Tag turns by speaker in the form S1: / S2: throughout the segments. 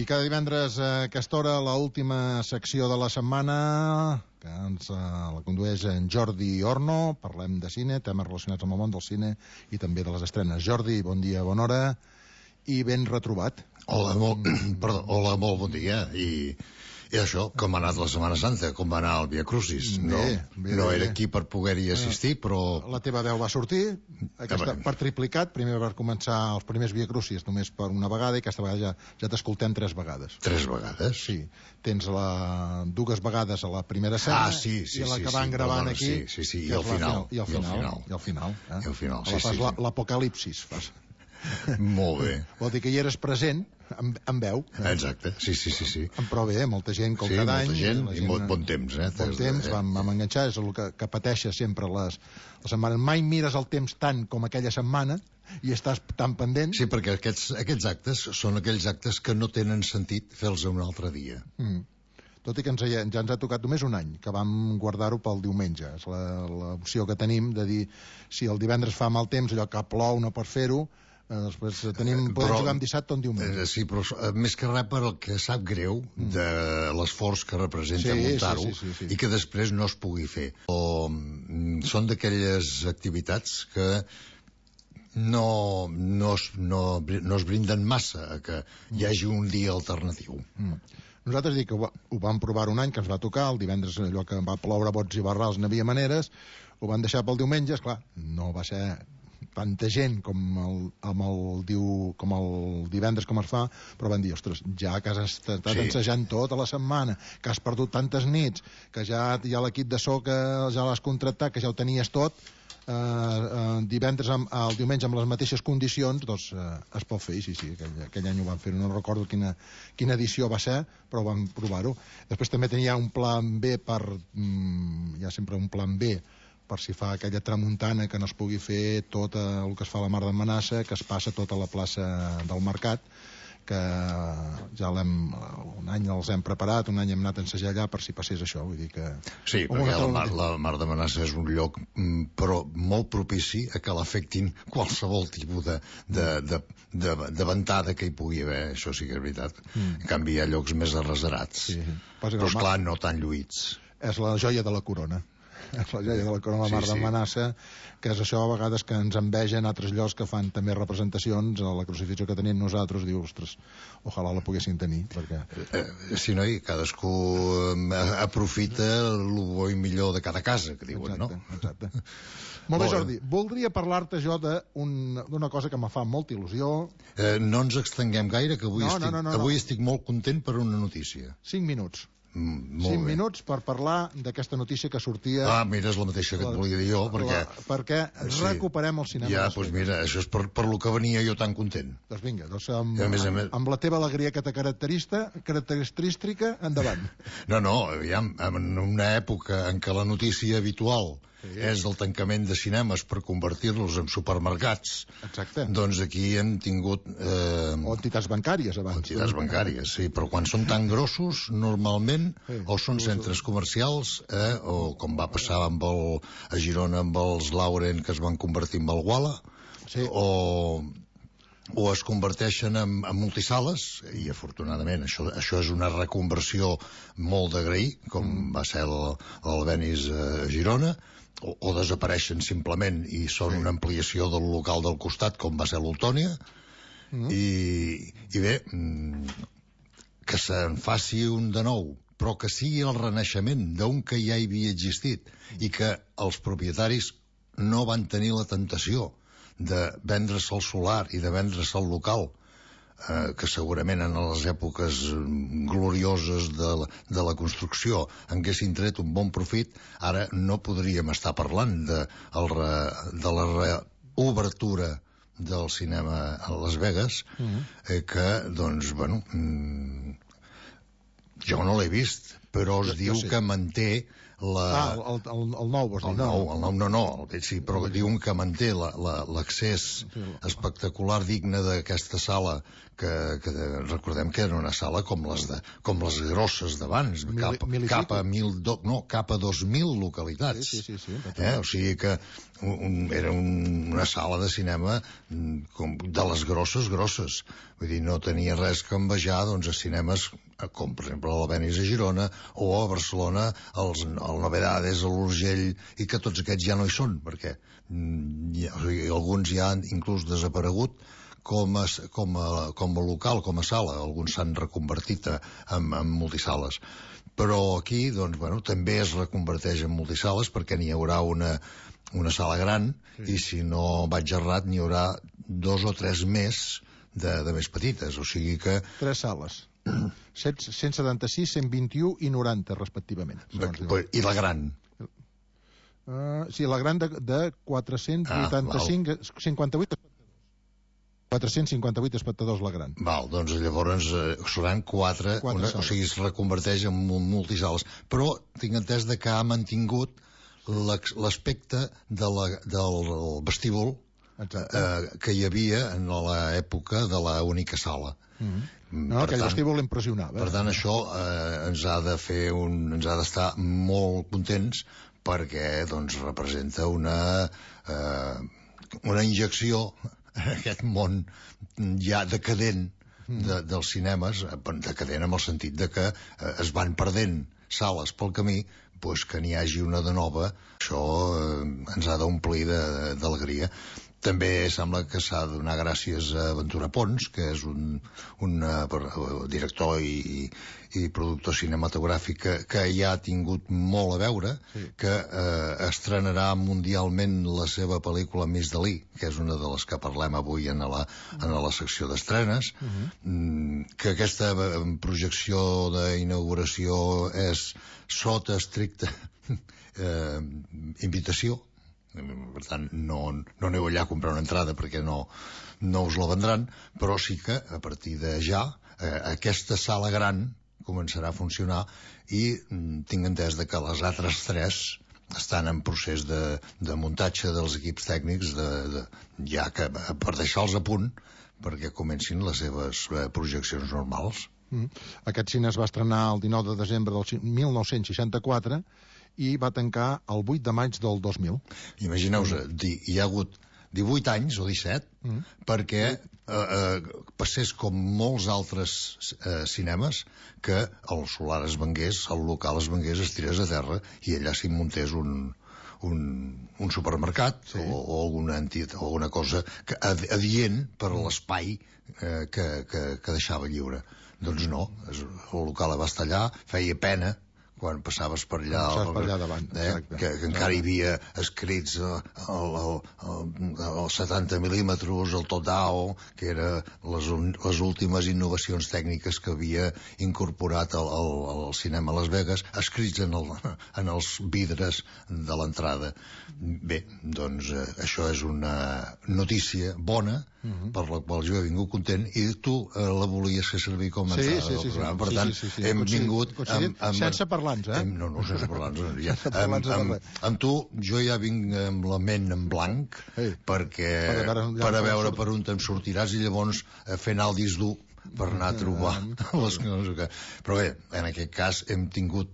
S1: I cada divendres a aquesta hora, l'última secció de la setmana, que ens la condueix en Jordi Orno. Parlem de cine, temes relacionats amb el món del cine i també de les estrenes. Jordi, bon dia, bona hora i ben retrobat.
S2: Hola, molt bon dia. I això, com ha anat la Setmana Santa, com va anar el Via Crucis. No era aquí per poder-hi assistir, però...
S1: La teva veu va sortir per triplicat, primer per començar els primers Via Crucis només per una vegada, i aquesta vegada ja t'escoltem 3 vegades.
S2: 3 vegades?
S1: Sí, tens dues vegades a la primera escena i la que van gravant aquí.
S2: Sí, i al final.
S1: I al final. L'apocalipsis fas.
S2: Molt bé.
S1: Vol dir que hi eres present amb veu.
S2: Exacte, sí.
S1: Però bé, molta gent com cada any.
S2: Sí, molta gent i bon temps.
S1: Bon temps, vam enganxar, és el que pateixes sempre les setmanes. Mai mires el temps tant com aquella setmana i estàs tan pendent.
S2: Sí, perquè aquests actes són aquells actes que no tenen sentit fer-los un altre dia.
S1: Tot i que ja ens ha tocat només un any, que vam guardar-ho pel diumenge. És l'opció que tenim de dir, si el divendres fa mal temps, allò que plou no pot fer-ho, després podem jugar amb dissabte o en diumenge.
S2: Sí, però més que res per el que sap greu de l'esforç que representa muntar-ho i que després no es pugui fer. Són d'aquelles activitats que no es brinden massa a que hi hagi un dia alternatiu.
S1: Nosaltres dic que ho vam provar un any, que ens va tocar, el divendres allò que va ploure bots i barrals n'havia maneres, ho van deixar pel diumenge, esclar, no va ser tanta gent com el divendres com es fa, però van dir, ostres, ja que has estat ensejant tota la setmana, que has perdut tantes nits, que ja l'equip de so que ja l'has contractat, que ja ho tenies tot, el diumenge amb les mateixes condicions, doncs es pot fer. Sí, aquell any ho van fer, no recordo quina edició va ser, però vam provar-ho. Després també tenia un plan B hi ha sempre un plan B per si fa aquella tramuntana que no es pugui fer tot el que es fa a la Mar d'Amenaça, que es passa tota la plaça del Mercat, que ja un any els hem preparat, un any hem anat a ensejar allà per si passés això, vull dir que...
S2: Sí, perquè la Mar d'Amenaça és un lloc però molt propici a que l'afectin qualsevol tipus de ventada que hi pugui haver, això sí que és veritat. En canvi hi ha llocs més arreserats, però esclar no tan lluïts.
S1: És la joia de la corona. És la joia de la corona, la Mar d'Amenaça, que és això a vegades que ens envegen altres llocs que fan també representacions a la crucifixió que tenim nosaltres, diu, ostres, ojalà la poguessin tenir, perquè...
S2: Sí, noi, cadascú aprofita el bo i millor de cada casa, que diuen, no?
S1: Exacte. Molt bé, Jordi, voldria parlar-te jo d'una cosa que me fa molta il·lusió.
S2: No ens extenguem gaire, que avui estic molt content per una notícia.
S1: 5 minuts. 5 minuts per parlar d'aquesta notícia que sortia...
S2: Mira, és la mateixa que et volia dir jo,
S1: perquè recuperem el cinema.
S2: Ja, doncs mira, això és per lo que venia jo tan content.
S1: Doncs vinga, amb la teva alegria que te característica, endavant.
S2: No, aviam, en una època en què la notícia habitual és el tancament de cinemes per convertir-los en supermercats.
S1: Exacte.
S2: Doncs aquí hem tingut...
S1: O entitats bancàries, abans.
S2: Entitats bancàries, sí, però quan són tan grossos, normalment, o són centres comercials, o com va passar a Girona amb els Lauren, que es van convertir en Valguala, o es converteixen en multisales, i afortunadament això és una reconversió molt d'agrair, com va ser l'Albenis a Girona, o desapareixen simplement i són una ampliació del local del costat, com va ser l'Oltònia, i bé, que se'n faci un de nou, però que sigui el renaixement d'un que ja hi havia existit i que els propietaris no van tenir la tentació de vendre's el solar i de vendre's el local, que segurament en les èpoques glorioses de la construcció haguessin tret un bon profit. Ara no podríem estar parlant de la reobertura del cinema a Las Vegas, que, doncs, bueno, jo no l'he vist, però es diu que manté
S1: el nou, vols dir?
S2: El nou no, sí, però diuen que manté l'accés espectacular digne d'aquesta sala, que recordem que era una sala com les grosses d'abans, cap a 2.000 localitats.
S1: Sí.
S2: O sigui que era una sala de cinema de les grosses. Vull dir, no tenia res que envejar doncs, a cinemes com, per exemple, l'Albéniz a Girona o a Barcelona, el Novedades, l'Urgell, i que tots aquests ja no hi són, perquè alguns ja han inclús desaparegut com a local, com a sala. Alguns s'han reconvertit en multisales. Però aquí, doncs, també es reconverteix en multisales perquè n'hi haurà una sala gran i, si no vaig errat, n'hi haurà 2 o 3 més de més petites. O sigui que...
S1: 3 sales. 176, 121 i 90, respectivament.
S2: I la gran?
S1: Sí, la gran de 485, 58... 458 espectadors la gran.
S2: Val, doncs llavors seran 4 o sigui, es reconverteix en multisales. Però tinc entès que ha mantingut l'aspecte del vestíbul que hi havia en l'època de l'única sala.
S1: Aquell vestíbul impressionava.
S2: Per tant, això ens ha d'estar molt contents, perquè doncs, representa una injecció en aquest món ja decadent dels cinemes, decadent en el sentit de que es van perdent sales pel camí, doncs que n'hi hagi una de nova, això ens ha d'omplir d'alegria. També sembla que s'ha de donar gràcies a Ventura Pons, que és un director i productor cinematogràfic que ja ha tingut molt a veure, que estrenarà mundialment la seva pel·lícula Miss Dalí, que és una de les que parlem avui en la secció d'estrenes, que aquesta projecció d'inauguració és sota estricta invitació. Per tant, no aneu allà a comprar una entrada perquè no us la vendran, però sí que a partir de ja aquesta sala gran començarà a funcionar i tinc entès que les altres 3 estan en procés de muntatge dels equips tècnics ja que per deixar-los a punt perquè comencin les seves projeccions normals.
S1: Aquest cine es va estrenar el 19 de desembre del 1964 i va tancar el 8 de maig del 2000.
S2: Imagineu-vos, hi ha hagut 18 anys o 17 perquè passés com molts altres cinemes que el solar es vengués, el local es vengués, es tirés a terra i allà s'hi muntés un supermercat o alguna cosa adient per a l'espai que deixava lliure. Doncs no, el local va estar allà, feia pena quan passaves per allà
S1: davant,
S2: que encara hi havia escrits els 70 mil·límetres, el Todao, que era les últimes innovacions tècniques que havia incorporat el cinema a Las Vegas, escrits en els vidres de l'entrada. Bé, doncs això és una notícia bona per la qual jo he vingut content i tu la volies fer servir com a entrada del programa. Per tant, hem vingut
S1: sense parlants,
S2: no, sense parlants. Amb tu jo ja vinc amb la ment en blanc per a veure per on te'n sortiràs i llavors fer anar el disc dur per anar a trobar les coses. Però bé, en aquest cas hem tingut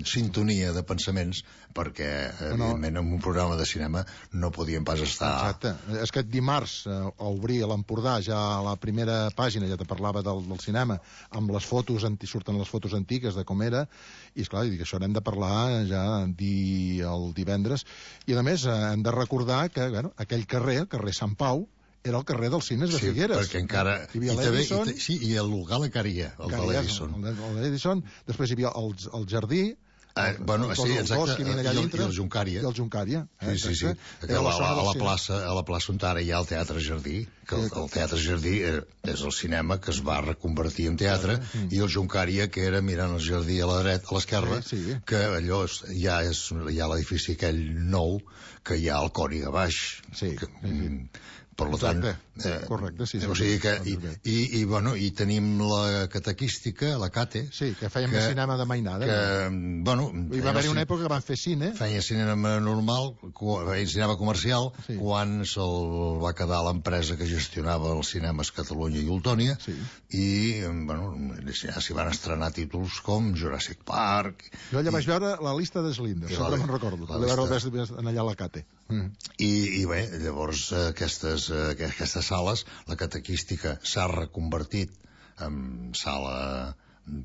S2: sintonia de pensaments perquè, evidentment, en un programa de cinema no podíem pas estar...
S1: Exacte. És que dimarts a obrir a l'Empordà ja a la primera pàgina ja te parlava del cinema amb les fotos, surten les fotos antigues de com era, i esclar, dic, això n'hem de parlar ja el divendres, i a més hem de recordar que aquell carrer, el carrer Sant Pau, era el carrer dels cines de Figueres.
S2: Sí, perquè encara...
S1: Hi havia l'Edison...
S2: Sí, i el local encara hi ha, el de l'Edison.
S1: L'Edison, després hi havia el jardí,
S2: sí, exacte,
S1: i
S2: el Juncària.
S1: I el Juncària.
S2: Sí. A la plaça on ara hi ha el Teatre Jardí, que el Teatre Jardí és el cinema que es va reconvertir en teatre, i el Juncària, que era mirant el jardí a la dreta, a l'esquerra, que allò hi ha l'edifici aquell nou, que hi ha el Còniga baix. Per tant...
S1: Correcte, sí.
S2: O sigui que... I tenim la catequística, la CATE...
S1: Sí, que feien més cinema de mainada. Hi va haver una època que van fer cine.
S2: Feia cinema normal, feia cinema comercial, quan se'l va quedar l'empresa que gestionava els cinemes Catalunya i Ultònia, i, ja s'hi van estrenar títols com Jurassic Park...
S1: Jo allà vaig veure la llista de Slinders, sempre me'n recordo. Allà a la CATE.
S2: I bé, llavors aquestes sales, la catequística s'ha reconvertit en sala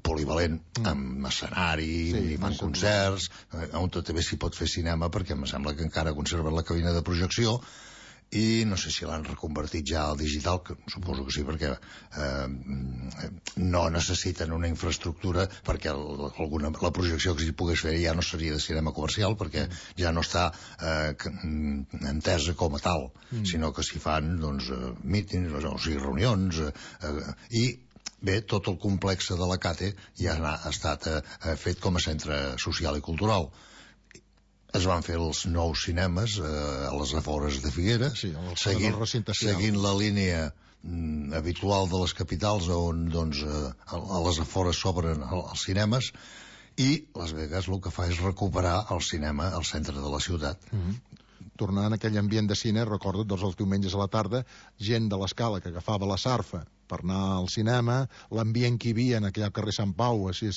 S2: polivalent, amb escenari, i fan concerts, on també s'hi pot fer cinema, perquè em sembla que encara conserven la cabina de projecció, i no sé si l'han reconvertit ja al digital, que suposo que sí, perquè no necessiten una infraestructura, perquè la projecció que s'hi pogués fer ja no seria de cinema comercial, perquè ja no està entesa com a tal, sinó que s'hi fan mítings, o sigui, reunions, i bé, tot el complex de la CATE ja ha estat fet com a centre social i cultural. Es van fer els nous cinemes a les afores de Figueres, seguint la línia habitual de les capitals, on a les afores s'obren els cinemes, i Las Vegas el que fa és recuperar el cinema al centre de la ciutat.
S1: Tornant a aquell ambient de cine, recorda't, els diumenges a la tarda, gent de l'Escala que agafava la Sarfa per anar al cinema, l'ambient que hi havia en aquell carrer Sant Pau, així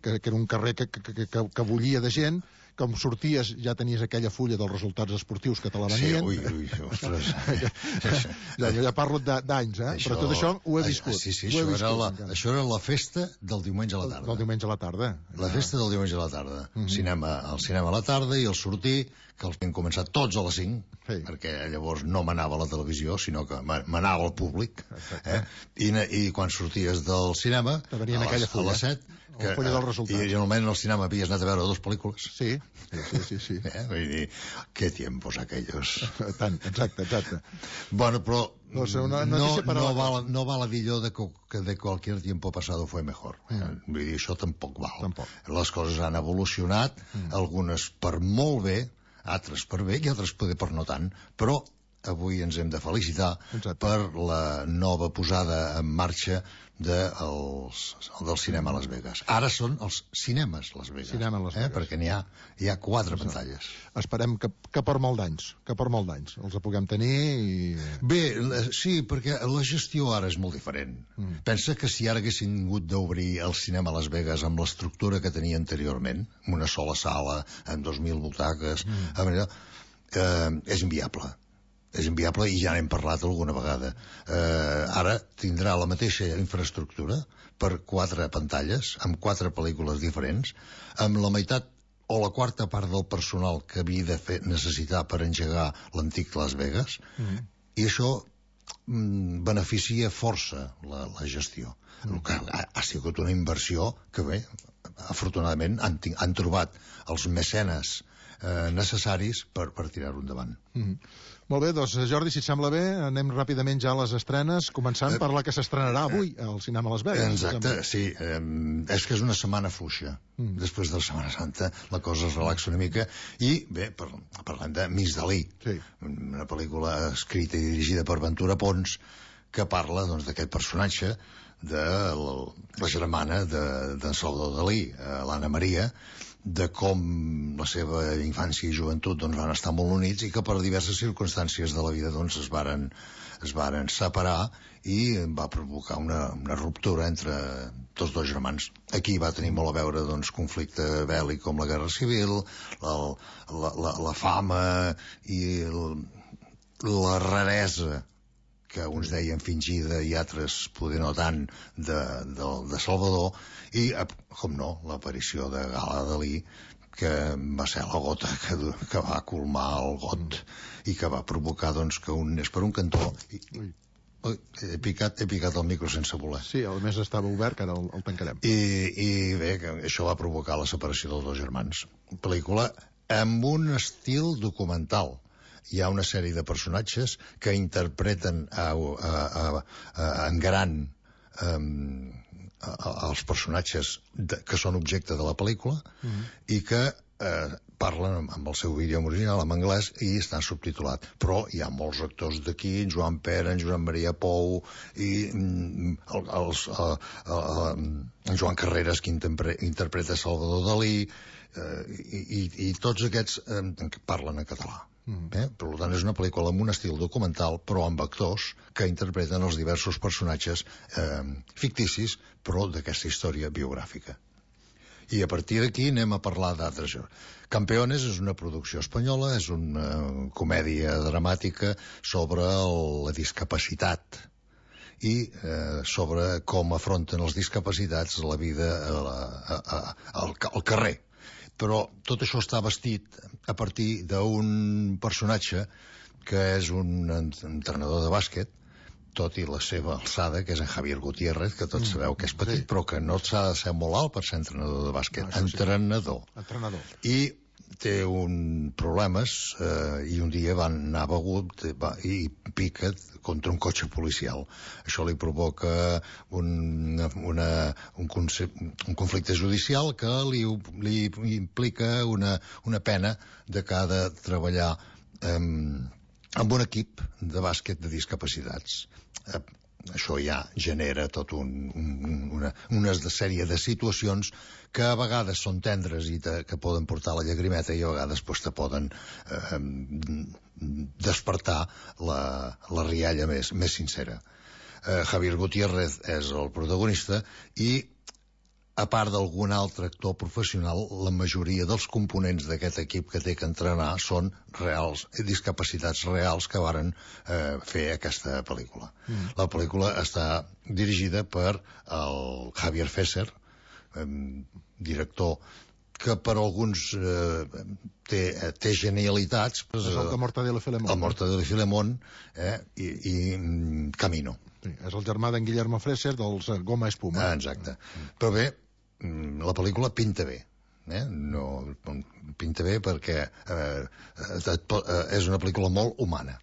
S1: que era un carrer que bullia de gent, com sorties ja tenies aquella fulla dels resultats esportius que te la venien.
S2: Sí, ostres.
S1: Jo ja parlo d'anys, però tot això ho he viscut.
S2: Sí, això era la festa del diumenge a la tarda.
S1: Del diumenge a la tarda.
S2: La festa del diumenge a la tarda. El cinema a la tarda i el sortir, que els vam començar tots a les 5, perquè llavors no manava la televisió, sinó que manava el públic. I quan sorties del cinema, a les 7, i generalment al cinema havies anat a veure 2 pel·lícules.
S1: Sí.
S2: Vull dir, qué tiempos aquellos.
S1: Tant, exacte.
S2: Bueno, però
S1: no
S2: val a dir allò que de cualquier tiempo pasado fue mejor. Vull dir, això tampoc val. Les coses han evolucionat, algunes per molt bé, altres per bé i altres poder per no tant, però avui ens hem de felicitar per la nova posada en marxa del cinema a Las Vegas. Ara són els cinemes Las Vegas, perquè n'hi ha 4 pantalles.
S1: Esperem que per molt d'anys els puguem tenir.
S2: Bé, sí, perquè la gestió ara és molt diferent. Pensa que si ara haguessin hagut d'obrir el cinema a Las Vegas amb l'estructura que tenia anteriorment, amb una sola sala, amb 2.000 butaques, és inviable. És inviable i ja n'hem parlat alguna vegada. Ara tindrà la mateixa infraestructura per 4 pantalles, amb 4 pel·lícules diferents, amb la meitat o la quarta part del personal que havia de necessitar per engegar l'antic Las Vegas, i això beneficia força la gestió. El que ha sigut una inversió que, bé, afortunadament han trobat els mecenes necessaris per tirar-ho endavant.
S1: Molt bé, doncs Jordi, si et sembla bé, anem ràpidament ja a les estrenes, començant per la que s'estrenarà avui al cinema Las Vegas.
S2: Exacte, sí. És que és una setmana fluixa. Després de la Setmana Santa la cosa es relaxa una mica. I, bé, parlem de Miss Dalí, una pel·lícula escrita i dirigida per Ventura Pons, que parla d'aquest personatge de la germana d'en Salvador Dalí, l'Anna Maria, de com la seva infància i joventut van estar molt units i que per diverses circumstàncies de la vida es varen separar i va provocar una ruptura entre tots 2 germans. Aquí va tenir molt a veure conflicte bèl·lic com la Guerra Civil, la fama i la raresa que uns deien fingida i altres poder no tant de Salvador, i, com no, l'aparició de Gala Dalí, que va ser la gota que va colmar el got i que va provocar que un anés per un cantó. He picat el micro sense voler.
S1: Sí, a més estava obert, que ara el tancarem.
S2: I bé, això va provocar la separació dels 2 germans. Pel·lícula amb un estil documental. Hi ha una sèrie de personatges que interpreten en gran els personatges que són objecte de la pel·lícula i que parlen amb el seu idioma original, en anglès, i estan subtitulat. Però hi ha molts actors d'aquí, en Joan Pera, en Joan Maria Pou, i en Joan Carreras, que interpreta Salvador Dalí, i tots aquests parlen en català. Per tant, és una pel·lícula amb un estil documental, però amb actors que interpreten els diversos personatges ficticis, però d'aquesta història biogràfica. I a partir d'aquí anem a parlar d'altres. Campeones és una producció espanyola, és una comèdia dramàtica sobre la discapacitat i sobre com afronten els discapacitats la vida al carrer. Però tot això està vestit a partir d'un personatge que és un entrenador de bàsquet, tot i la seva alçada, que és en Javier Gutiérrez, que tots sabeu que és petit, però que no s'ha de ser molt alt per ser entrenador de bàsquet. Entrenador. I té problemes, i un dia van anar begut i pica contra un cotxe policial. Això li provoca un conflicte judicial que li implica una pena de que ha de treballar amb un equip de bàsquet de discapacitats. Això ja genera tota una sèrie de situacions que a vegades són tendres i que poden portar la llagrimeta i a vegades te poden despertar la rialla més sincera. Javier Gutiérrez és el protagonista i, a part d'algun altre actor professional, la majoria dels components d'aquest equip que té que entrenar són reals, discapacitats reals que varen fer aquesta pel·lícula. La pel·lícula està dirigida per el Javier Fesser, director que per alguns té genialitats.
S1: És el de Mortadelo i Filemón.
S2: El Mortadelo i Filemón i Camino.
S1: Sí, és el germà d'en Guillermo Fesser dels Goma Espuma.
S2: Exacte. Però bé, la pel·lícula pinta bé. No, pinta bé perquè és una pel·lícula molt humana.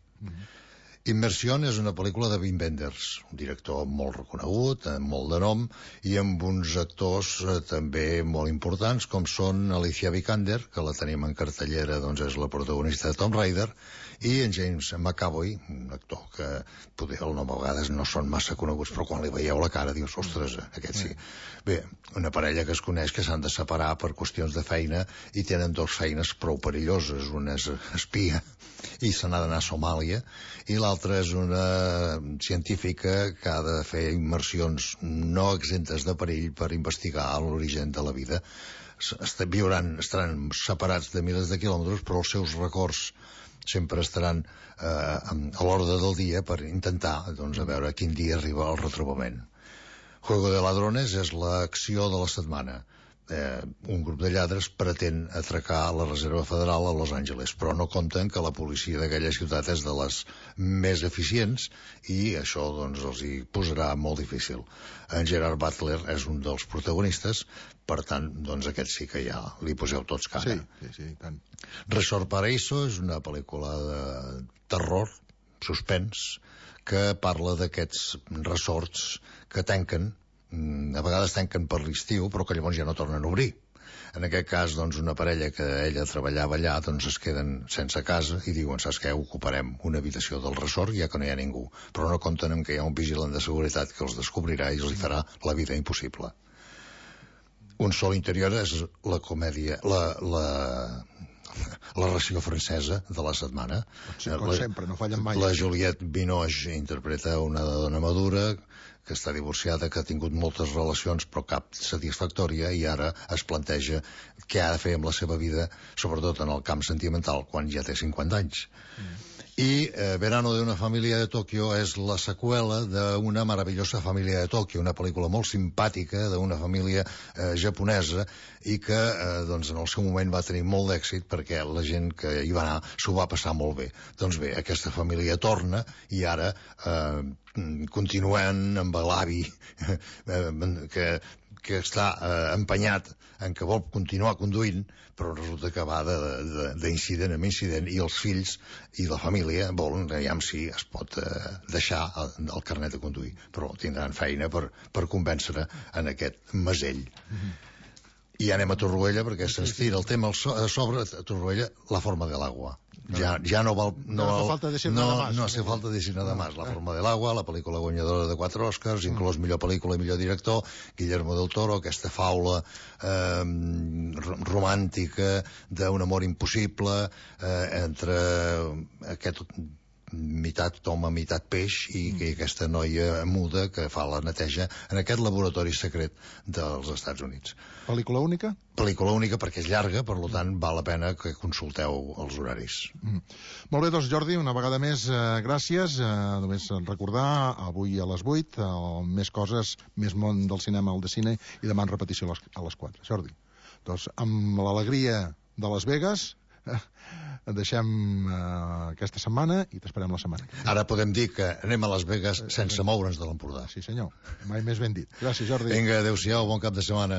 S2: Immersió és una pel·lícula de Wim Wenders, un director molt reconegut, amb molt de nom, i amb uns actors també molt importants, com són Alicia Vikander, que la tenim en cartellera, doncs és la protagonista de Tomb Raider, i en James McAvoy, un actor que poder el nom a vegades no són massa coneguts, però quan li veieu la cara dius, ostres, aquest sí. Bé, una parella que es coneix que s'han de separar per qüestions de feina i tenen dues feines prou perilloses. Una és espia i se n'ha d'anar a Somàlia, i l'altra és una científica que ha de fer immersions no exemptes de perill per investigar l'origen de la vida. Estaran separats de milers de quilòmetres, però els seus records sempre estaran a l'ordre del dia per intentar a veure quin dia arriba el retrobament. Juego de Ladrones és l'acció de la setmana. Un grup de lladres pretén atracar la Reserva Federal a Los Angeles, però no compten que la policia d'aquella ciutat és de les més eficients i això els hi posarà molt difícil. En Gerard Butler és un dels protagonistes, per tant, aquest sí que ja li poseu tots cara.
S1: Sí, tant.
S2: Resort Paraíso és una pel·lícula de terror, suspens, que parla d'aquests resorts que tanquen, a vegades tanquen per l'estiu, però que llavors ja no tornen a obrir. En aquest cas, una parella que ella treballava allà, es queden sense casa i diuen, saps què, ocuparem una habitació del resort ja que no hi ha ningú. Però no compten amb que hi ha un vigilant de seguretat que els descobrirà i els farà la vida impossible. Un sol interior és la comèdia, la ració francesa de la setmana.
S1: Sí, com sempre, no fallen mai.
S2: La Juliette Binoche interpreta una dona madura que està divorciada, que ha tingut moltes relacions però cap satisfactòria, i ara es planteja què ha de fer amb la seva vida, sobretot en el camp sentimental, quan ja té 50 anys. I Verano de una familia de Tokio és la seqüela d'Una maravillosa família de Tòquio, una pel·lícula molt simpàtica d'una família japonesa i que en el seu moment va tenir molt d'èxit perquè la gent que hi va anar s'ho va passar molt bé. Doncs bé, aquesta família torna i ara continuen amb l'avi que està empenyat en que vol continuar conduint, però resulta que va d'incident en incident i els fills i la família volen veure si es pot deixar el carnet de conduir, però tindran feina per convèncer en aquest mesell. I anem a Torroella, perquè se'ns tira el tema a sobre, a Torroella, La forma del agua. Ja no val...
S1: No hace falta decir nada más.
S2: No hace falta decir nada más. La forma del agua, la pel·lícula guanyadora de 4 Oscars, inclòs millor pel·lícula i millor director, Guillermo del Toro, aquesta faula romàntica d'un amor impossible entre aquest meitat home, meitat peix, i aquesta noia muda que fa la neteja en aquest laboratori secret dels Estats Units.
S1: Pel·lícula única?
S2: Pel·lícula única perquè és llarga, per tant val la pena que consulteu els horaris.
S1: Molt bé, doncs Jordi, una vegada més gràcies. Només recordar, avui a les 8, més coses, més món del cinema al de cine, i demà en repetició a les 4. Jordi, doncs amb l'alegria de Las Vegas deixem aquesta setmana i t'esperem la setmana.
S2: Ara podem dir que anem a Las Vegas sense moure'ns de l'Empordà.
S1: Sí senyor, mai més ben dit. Gràcies Jordi.
S2: Vinga, adeu-siau, bon cap de setmana.